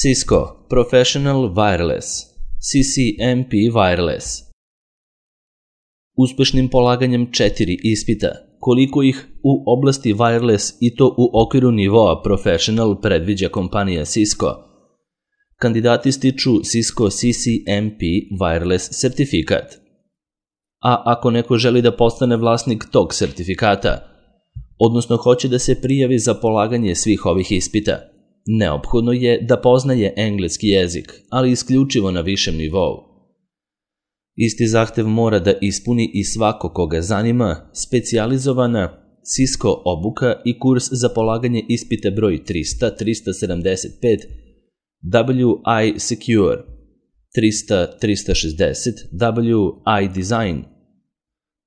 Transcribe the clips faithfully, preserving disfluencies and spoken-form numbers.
Cisco Professional Wireless, C C M P Wireless. Uspešnim polaganjem četiri ispita, koliko ih u oblasti wireless i to u okviru nivoa Professional predviđa kompanija Cisco, kandidati stiču Cisco C C M P Wireless sertifikat. A ako neko želi da postane vlasnik tog sertifikata, odnosno hoće da se prijavi za polaganje svih ovih ispita, neophodno je da poznaje engleski jezik, ali isključivo na višem nivou. Isti zahtev mora da ispuni i svako koga zanima specijalizovana Cisco obuka i kurs za polaganje ispita broj trista trista sedamdeset pet W I Secure, trista trista šezdeset W I Design,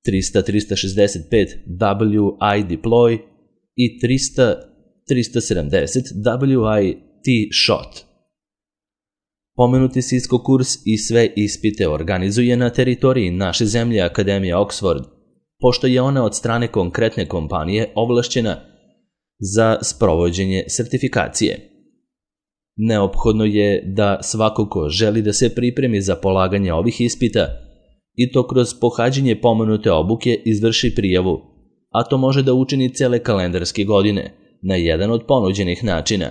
trista trista šezdeset pet W I Deploy i trista trista sedamdeset W I T-Shot. Pomenuti Cisco kurs i sve ispite organizuje na teritoriji naše zemlje Akademija Oxford, pošto je ona od strane konkretne kompanije ovlašćena za sprovođenje sertifikacije. Neophodno je da svako ko želi da se pripremi za polaganje ovih ispita i to kroz pohađanje pomenute obuke izvrši prijavu, a to može da učini cele kalendarske godine na jedan od ponuđenih načina.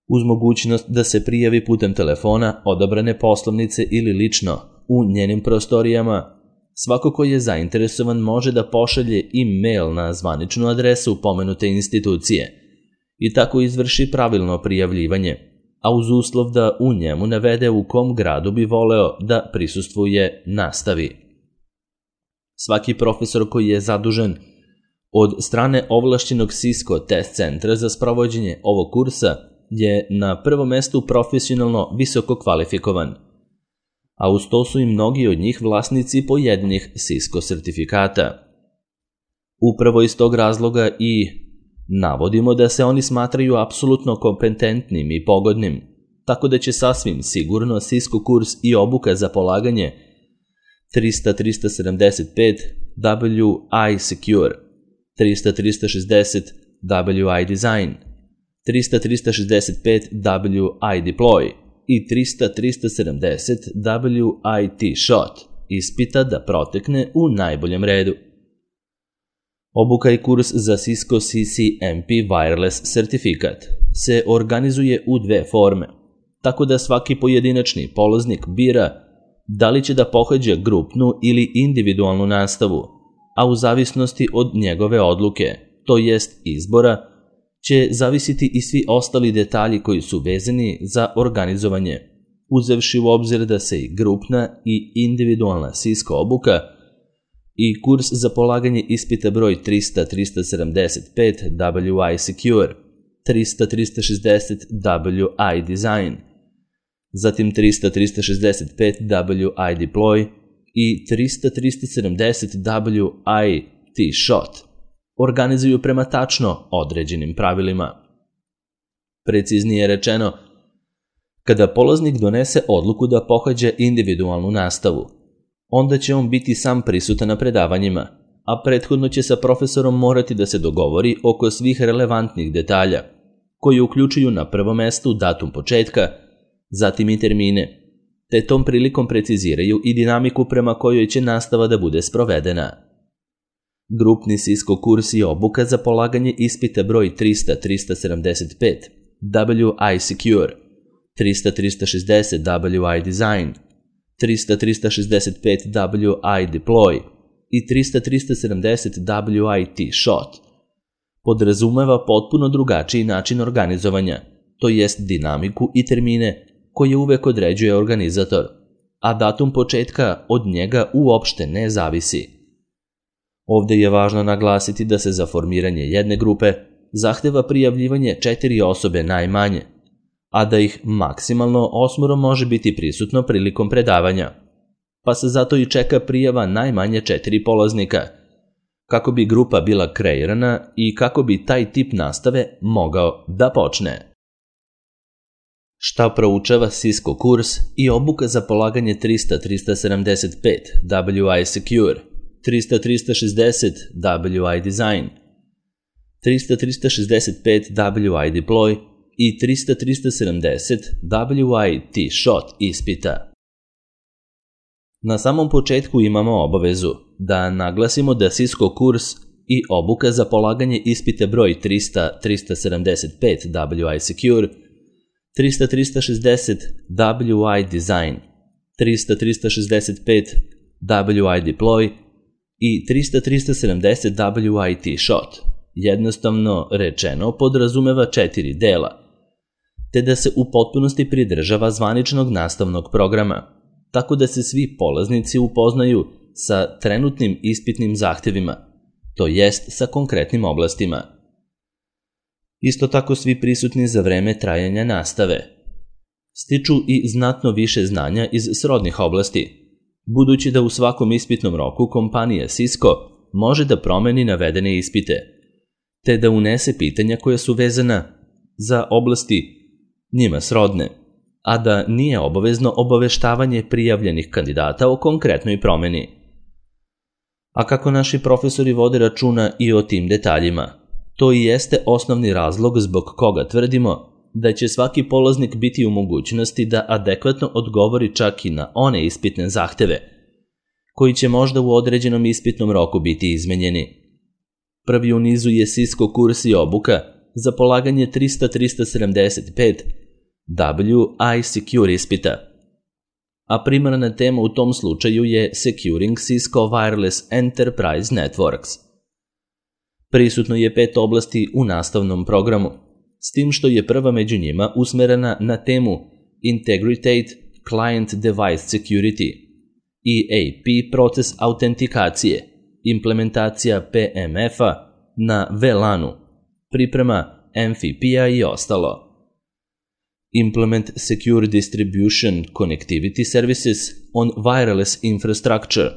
Uz mogućnost da se prijavi putem telefona, odabrane poslovnice ili lično u njenim prostorijama, svako ko je zainteresovan može da pošalje e-mail na zvaničnu adresu pomenute institucije i tako izvrši pravilno prijavljivanje, a uz uslov da u njemu navede u kom gradu bi voleo da prisustvuje nastavi. Svaki profesor koji je zadužen od strane ovlašćenog Cisco test centra za sprovođenje ovog kursa je na prvom mestu profesionalno visoko kvalifikovan, a uz to su i mnogi od njih vlasnici pojedinih Cisco sertifikata. Upravo iz tog razloga i navodimo da se oni smatraju apsolutno kompetentnim i pogodnim, tako da će sasvim sigurno Cisco kurs i obuka za polaganje trista trista sedamdeset pet W I Secure, trista trista šezdeset W I Design, trista trista šezdeset pet W I Deploy i trista trista sedamdeset W I T-Shot ispita da protekne u najboljem redu. Obuka i kurs za Cisco C C M P Wireless sertifikat se organizuje u dve forme, tako da svaki pojedinačni polaznik bira da li će da pohađa grupnu ili individualnu nastavu, a u zavisnosti od njegove odluke, to jest izbora, će zavisiti i svi ostali detalji koji su vezani za organizovanje, uzevši u obzir da se i grupna i individualna Cisco obuka i kurs za polaganje ispita broj trista trista sedamdeset pet W I Secure, trista trista šezdeset W I Design, zatim trista trista šezdeset pet W I Deploy i trista trista sedamdeset W I T-Shot organizuju prema tačno određenim pravilima. Preciznije rečeno, kada polaznik donese odluku da pohađa individualnu nastavu, onda će on biti sam prisutan na predavanjima, a prethodno će sa profesorom morati da se dogovori oko svih relevantnih detalja, koji uključuju na prvom mestu datum početka, zatim i termine, te tom prilikom preciziraju i dinamiku prema kojoj će nastava da bude sprovedena. Grupni Cisco kurs i obuka za polaganje ispita broj trista trista sedamdeset pet W I Secure, trista trista šezdeset W I Design, trista trista šezdeset pet W I Deploy i trista trista sedamdeset W I T-Shot podrazumeva potpuno drugačiji način organizovanja, to jest dinamiku i termine koje uvek određuje organizator, a datum početka od njega uopšte ne zavisi. Ovde je važno naglasiti da se za formiranje jedne grupe zahteva prijavljivanje četiri osobe najmanje, a da ih maksimalno osmoro može biti prisutno prilikom predavanja, pa se zato i čeka prijava najmanje četiri polaznika, kako bi grupa bila kreirana i kako bi taj tip nastave mogao da počne. Šta proučava Cisco kurs i obuka za polaganje trista trista sedamdeset pet W I Secure, trista trista šezdeset W I Design, trista trista šezdeset pet W I Deploy i trista trista sedamdeset W I T-shot ispita. Na samom početku imamo obavezu da naglasimo da Cisco kurs i obuka za polaganje ispita broj trista trista sedamdeset pet W I Secure, trista trista šezdeset W I Design, trista trista šezdeset pet W I Deploy i trista trista sedamdeset W I T-shot, jednostavno rečeno podrazumeva četiri dela, te da se u potpunosti pridržava zvaničnog nastavnog programa, tako da se svi polaznici upoznaju sa trenutnim ispitnim zahtevima, to jest sa konkretnim oblastima. Isto tako svi prisutni za vreme trajanja nastave stiču i znatno više znanja iz srodnih oblasti, budući da u svakom ispitnom roku kompanija Cisco može da promeni navedene ispite, te da unese pitanja koja su vezana za oblasti njima srodne, a da nije obavezno obaveštavanje prijavljenih kandidata o konkretnoj promeni. A kako naši profesori vode računa i o tim detaljima, to i jeste osnovni razlog zbog koga tvrdimo da će svaki polaznik biti u mogućnosti da adekvatno odgovori čak i na one ispitne zahteve, koji će možda u određenom ispitnom roku biti izmenjeni. Prvi u nizu je Cisco kurs i obuka za polaganje trista trista sedamdeset pet W I Secure ispita, a primarna tema u tom slučaju je Securing Cisco Wireless Enterprise Networks. Prisutno je pet oblasti u nastavnom programu, s tim što je prva među njima usmerena na temu Integrate Client Device Security, E A P proces autentikacije, implementacija P M F-a na V LAN-u, priprema M F I P-a i ostalo. Implement Secure Distribution Connectivity Services on Wireless Infrastructure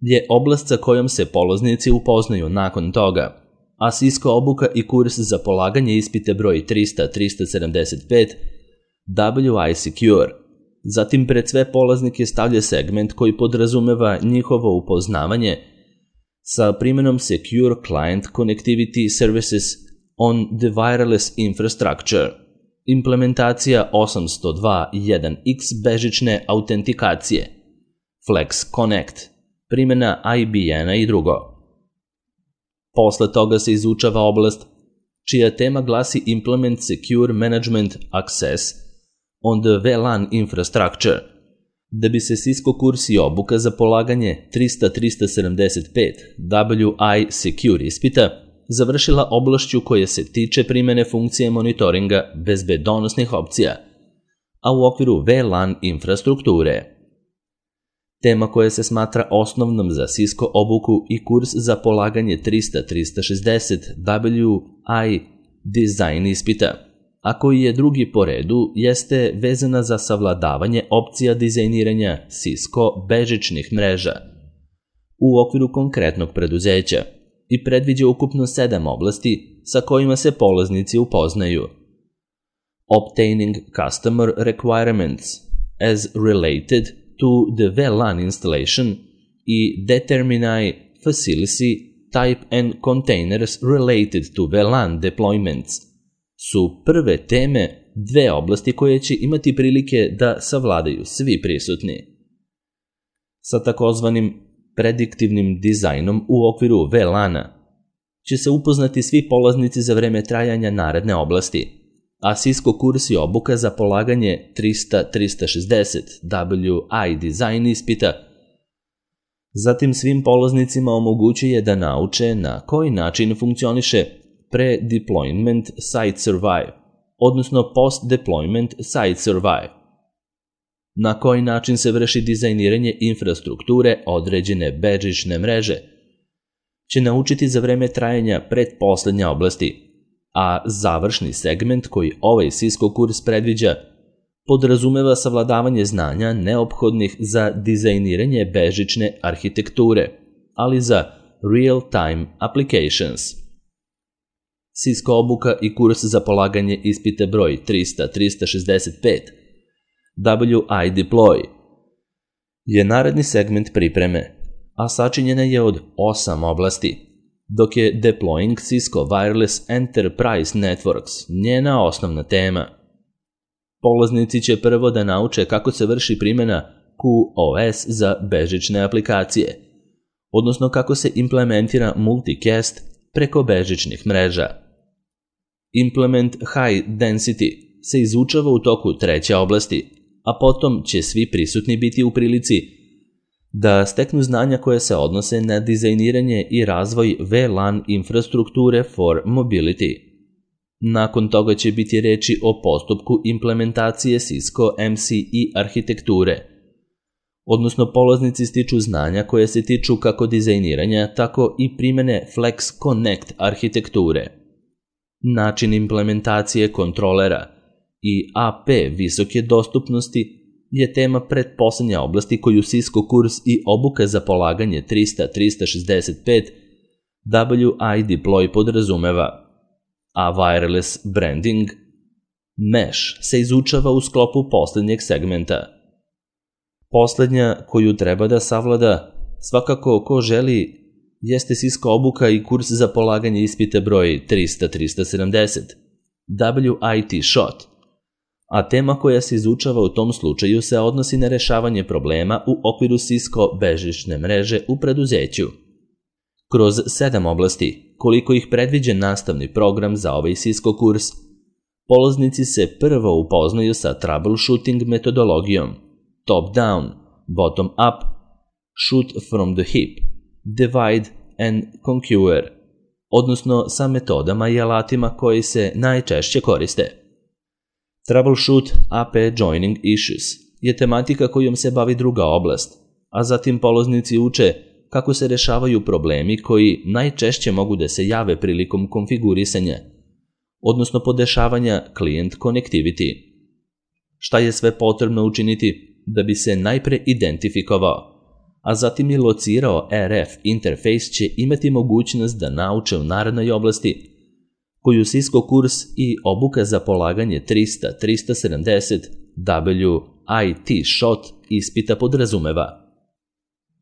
je oblast sa kojom se polaznici upoznaju nakon toga, a Cisco obuka i kurs za polaganje ispita broj trista trista sedamdeset pet W I Secure. Zatim pred sve polaznike stavlja segment koji podrazumeva njihovo upoznavanje sa primjenom Secure Client Connectivity Services on the Wireless Infrastructure, implementacija osamsto dva tačka jedan X bežične autentikacije, Flex Connect, primjena I B N-a i drugo. Posle toga se izučava oblast čija tema glasi Implement Secure Management Access on the V LAN Infrastructure, da bi se Cisco kurs i obuka za polaganje trista trista sedamdeset pet W I Secure ispita završila oblašću koja se tiče primjene funkcije monitoringa bezbedonosnih opcija, a u okviru V LAN infrastrukture. Tema koja se smatra osnovnom za Cisco obuku i kurs za polaganje trista trista šezdeset W I Design ispita, a koji je drugi po redu, jeste vezana za savladavanje opcija dizajniranja Cisco bežičnih mreža u okviru konkretnog preduzeća i predviđa ukupno sedam oblasti sa kojima se polaznici upoznaju. Obtaining Customer Requirements as Related to the V LAN Installation i Determine Facility Type and Containers Related to V LAN Deployments su prve teme dve oblasti koje će imati prilike da savladaju svi prisutni. Sa takozvanim prediktivnim dizajnom u okviru V LAN-a će se upoznati svi polaznici za vreme trajanja naredne oblasti, a Cisco kurs i obuka za polaganje trista trista šezdeset W I Design ispita zatim svim polaznicima omogućuje da nauče na koji način funkcioniše pre-deployment site survive, odnosno post-deployment site survive, na koji način se vrši dizajniranje infrastrukture određene bežične mreže, će naučiti za vreme trajanja pretposlednje oblasti, a završni segment koji ovaj Cisco kurs predviđa podrazumeva savladavanje znanja neophodnih za dizajniranje bežične arhitekture, ali za real-time applications. Cisco obuka i kurs za polaganje ispita broj trista trista šezdeset pet W I Deploy je naredni segment pripreme, a sačinjena je od osam oblasti, dok je Deploying Cisco Wireless Enterprise Networks njena osnovna tema. Polaznici će prvo da nauče kako se vrši primjena Q o S za bežične aplikacije, odnosno kako se implementira multicast preko bežičnih mreža. Implement High Density se izučava u toku treće oblasti, a potom će svi prisutni biti u prilici da steknu znanja koje se odnose na dizajniranje i razvoj V LAN infrastrukture for mobility. Nakon toga će biti reči o postupku implementacije Cisco M C I arhitekture, odnosno polaznici stiču znanja koje se tiču kako dizajniranja, tako i primjene Flex Connect arhitekture. Način implementacije kontrolera i A P visoke dostupnosti je tema pretposlednja oblasti koju Cisco kurs i obuka za polaganje trista trista šezdeset pet W I Deploy podrazumeva, a wireless branding Mesh se izučava u sklopu poslednjeg segmenta. Poslednja koju treba da savlada svakako ko želi jeste Cisco obuka i kurs za polaganje ispita broj trista trista sedamdeset W I T Shot, a tema koja se izučava u tom slučaju se odnosi na rešavanje problema u okviru Cisco bežične mreže u preduzeću. Kroz sedam oblasti, koliko ih predviđa nastavni program za ovaj Cisco kurs, polaznici se prvo upoznaju sa troubleshooting metodologijom, top-down, bottom-up, shoot from the hip, divide and conquer, odnosno sa metodama i alatima koji se najčešće koriste. Troubleshoot A P Joining Issues je tematika kojom se bavi druga oblast, a zatim polaznici uče kako se rešavaju problemi koji najčešće mogu da se jave prilikom konfigurisanja, odnosno podešavanja client connectivity. Šta je sve potrebno učiniti da bi se najpre identifikovao, a zatim i locirao R F interfejs će imati mogućnost da nauče u narednoj oblasti koju Cisco kurs i obuka za polaganje trista trista sedamdeset W I T Shot ispita podrazumeva.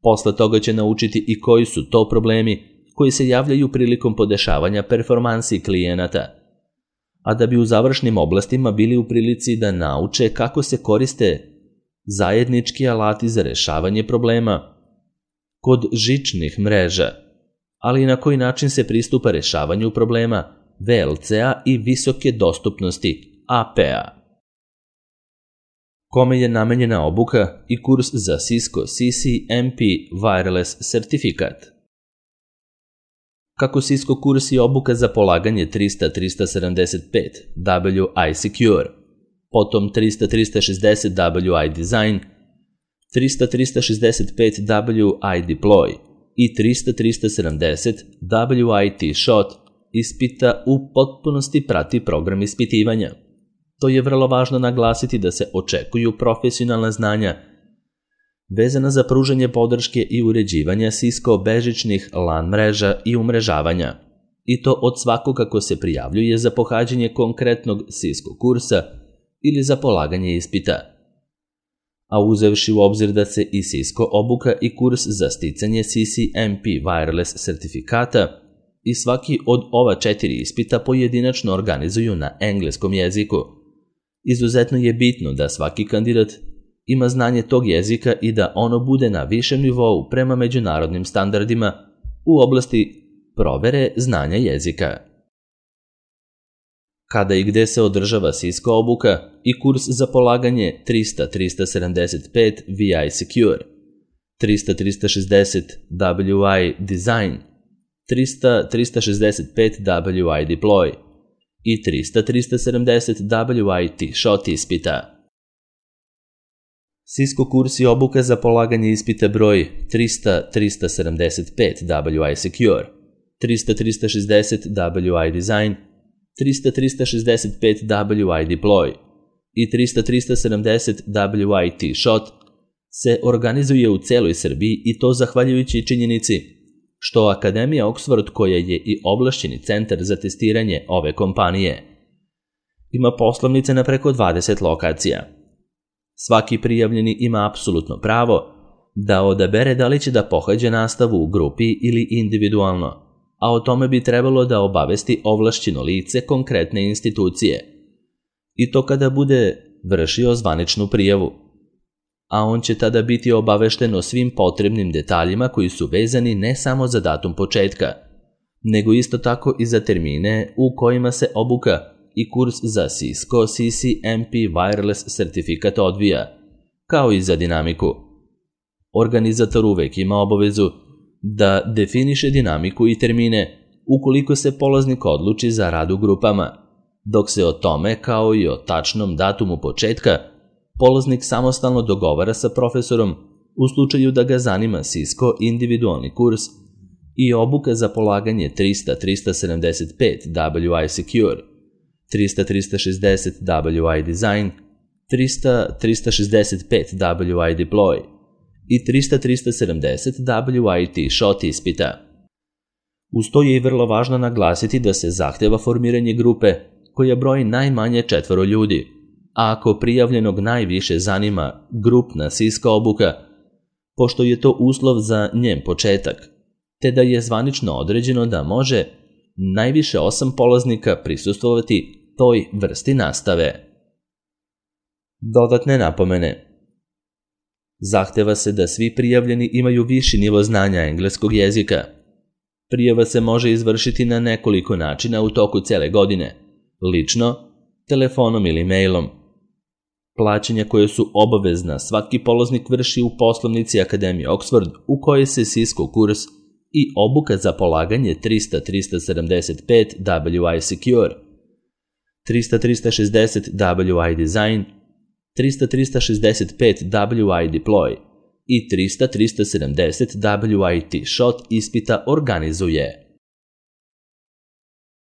Posle toga će naučiti i koji su to problemi koji se javljaju prilikom podešavanja performansi klijenata, a da bi u završnim oblastima bili u prilici da nauče kako se koriste zajednički alati za rešavanje problema kod žičnih mreža, ali i na koji način se pristupa rešavanju problema V L C-a i visoke dostupnosti A P-a. Kome je namenjena obuka i kurs za Cisco C C M P Wireless certifikat? Kako Cisco kurs i obuka za polaganje trista trista sedamdeset pet W I Secure, potom trista trista šezdeset W I Design, trista trista šezdeset pet W I Deploy i trista trista sedamdeset W I T Shot ispita u potpunosti prati program ispitivanja. To je vrlo važno naglasiti da se očekuju profesionalna znanja vezana za pružanje podrške i uređivanja Cisco bežičnih LAN mreža i umrežavanja, i to od svakoga ko se prijavljuje za pohađanje konkretnog Cisco kursa ili za polaganje ispita. A uzevši u obzir da se i Cisco obuka i kurs za sticanje C C M P Wireless certifikata i svaki od ova četiri ispita pojedinačno organizuju na engleskom jeziku, izuzetno je bitno da svaki kandidat ima znanje tog jezika i da ono bude na višem nivou prema međunarodnim standardima u oblasti provere znanja jezika. Kada i gde se održava Cisco obuka i kurs za polaganje trista trista sedamdeset pet V I Secure, trista trista šezdeset W I Design, trista trista šezdeset pet W I Deploy i trista trista sedamdeset W I T Shot ispita. Cisco kurs i obuka za polaganje ispita broj trista trista sedamdeset pet W I Secure, trista trista šezdeset W I Design, trista trista šezdeset pet W I Deploy i trista trista sedamdeset W I T Shot se organizuje u celoj Srbiji, i to zahvaljujući činjenici što Akademija Oxford, koja je i ovlašćeni centar za testiranje ove kompanije, ima poslovnice na preko dvadeset lokacija. Svaki prijavljeni ima apsolutno pravo da odabere da li će da pohađa nastavu u grupi ili individualno, a o tome bi trebalo da obavesti ovlašćeno lice konkretne institucije. I to kada bude vršio zvaničnu prijavu. A on će tada biti obavešten o svim potrebnim detaljima koji su vezani ne samo za datum početka, nego isto tako i za termine u kojima se obuka i kurs za Cisco C C M P Wireless sertifikat odvija, kao i za dinamiku. Organizator uvek ima obavezu da definiše dinamiku i termine ukoliko se polaznik odluči za rad u grupama, dok se o tome, kao i o tačnom datumu početka, polaznik samostalno dogovara sa profesorom u slučaju da ga zanima Cisco individualni kurs i obuka za polaganje trista trista sedamdeset pet W I Secure, trista trista šezdeset W I Design, trista trista šezdeset pet W I Deploy i trista trista sedamdeset W I T-Shot ispita. Uz to je i vrlo važno naglasiti da se zahteva formiranje grupe koja broji najmanje četvoro ljudi, a ako prijavljenog najviše zanima grupna Cisco obuka, pošto je to uslov za njen početak, te da je zvanično određeno da može najviše osam polaznika prisustvovati toj vrsti nastave. Dodatne napomene. Zahteva se da svi prijavljeni imaju viši nivo znanja engleskog jezika. Prijava se može izvršiti na nekoliko načina u toku cele godine, lično, telefonom ili mailom. Plaćanja koje su obavezna svaki polaznik vrši u poslovnici Akademije Oxford u kojoj se Cisco kurs i obuka za polaganje trista trista sedamdeset pet W I Secure, trista trista šezdeset W I Design, trista trista šezdeset pet W I Deploy i trista trista sedamdeset W I T-Shot ispita organizuje.